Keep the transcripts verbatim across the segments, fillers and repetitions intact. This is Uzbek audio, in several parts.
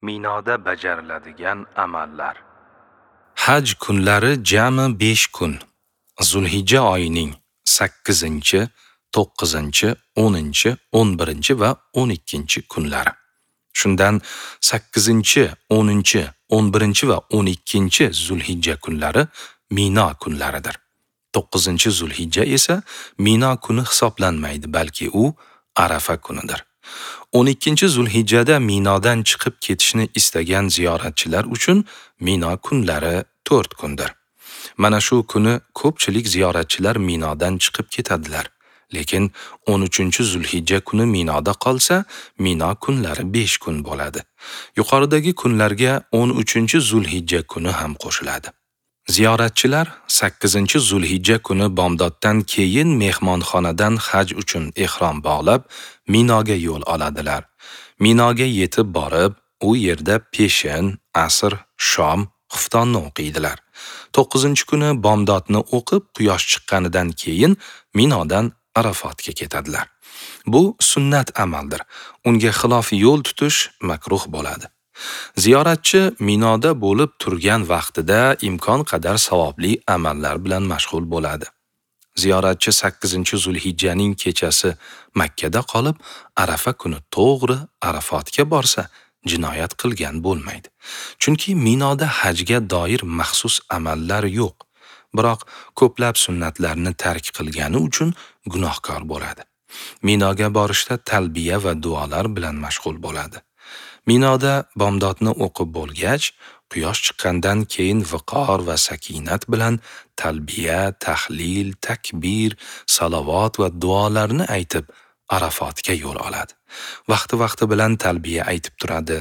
Minoda bajariladigan amallar. Haj kunlari jami besh kun. Zulhijja oyining sakkizinchi, to'qqizinchi, o'ninchi, o'n birinchi va o'n ikkinchi kunlari. Shundan sakkizinchi, o'ninchi, o'n birinchi va o'n ikkinchi Zulhijja kunlari Mino kunlaridir. to'qqizinchi Zulhijja esa Mino kuni hisoblanmaydi, balki u Arafa kunidir. o'n ikkinchi Zulhijjada Minodan chiqib ketishni istagan ziyoratchilar uchun Mino kunlari to'rt kundir. Mana shu kuni ko'pchilik ziyoratchilar Minodan chiqib ketadilar. Lekin o'n uchinchi Zulhijja kuni Minoda qolsa, Mino kunlari besh kun bo'ladi. Yuqoridagi kunlarga o'n uchinchi Zulhijja kuni ham qo'shiladi. Ziyoratchilar sakkizinchi Zulhijja kuni bomdoddan keyin mehmonxonadan haj uchun ihrom bog'lab, Minoga yo'l oladilar. Minoga yetib borib, u yerda peshin, asr, shom, xuftonni o'qiydilar. to'qqizinchi kuni bomdodni o'qib, quyosh chiqqanidan keyin Minodan Arafotga ketadilar. Bu sunnat amaldir. Unga xilof yo'l tutish makruh bo'ladi. Ziyoratchi Minoda bo'lib turgan vaqtida imkon qadar savobli amallar bilan mashg'ul bo'ladi. Ziyoratchi sakkizinchi Zulhijjaning kechasi Makkada qolib, Arafa kuni to'g'ri Arafotga borsa, jinoyat qilgan bo'lmaydi. Chunki Minoda hajga doir maxsus amallar yo'q. Biroq ko'plab sunnatlarni tark qilgani uchun gunohkor bo'ladi. Minoga borishda talbiya va duolar bilan mashg'ul bo'ladi. Minoda bomdodni o'qib bo'lgach, quyosh chiqqandan keyin viqor va sakinat bilan talbiya, tahlil, takbir, salovat va duolarni aytib Arafotga yo'l oladi. Vaqti-vaqti bilan talbiya aytib turadi.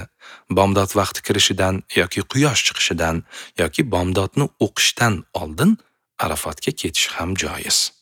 Bomdod vaqti kirishidan yoki quyosh chiqishidan yoki bomdodni o'qishdan oldin Arafotga ketish ham joiz.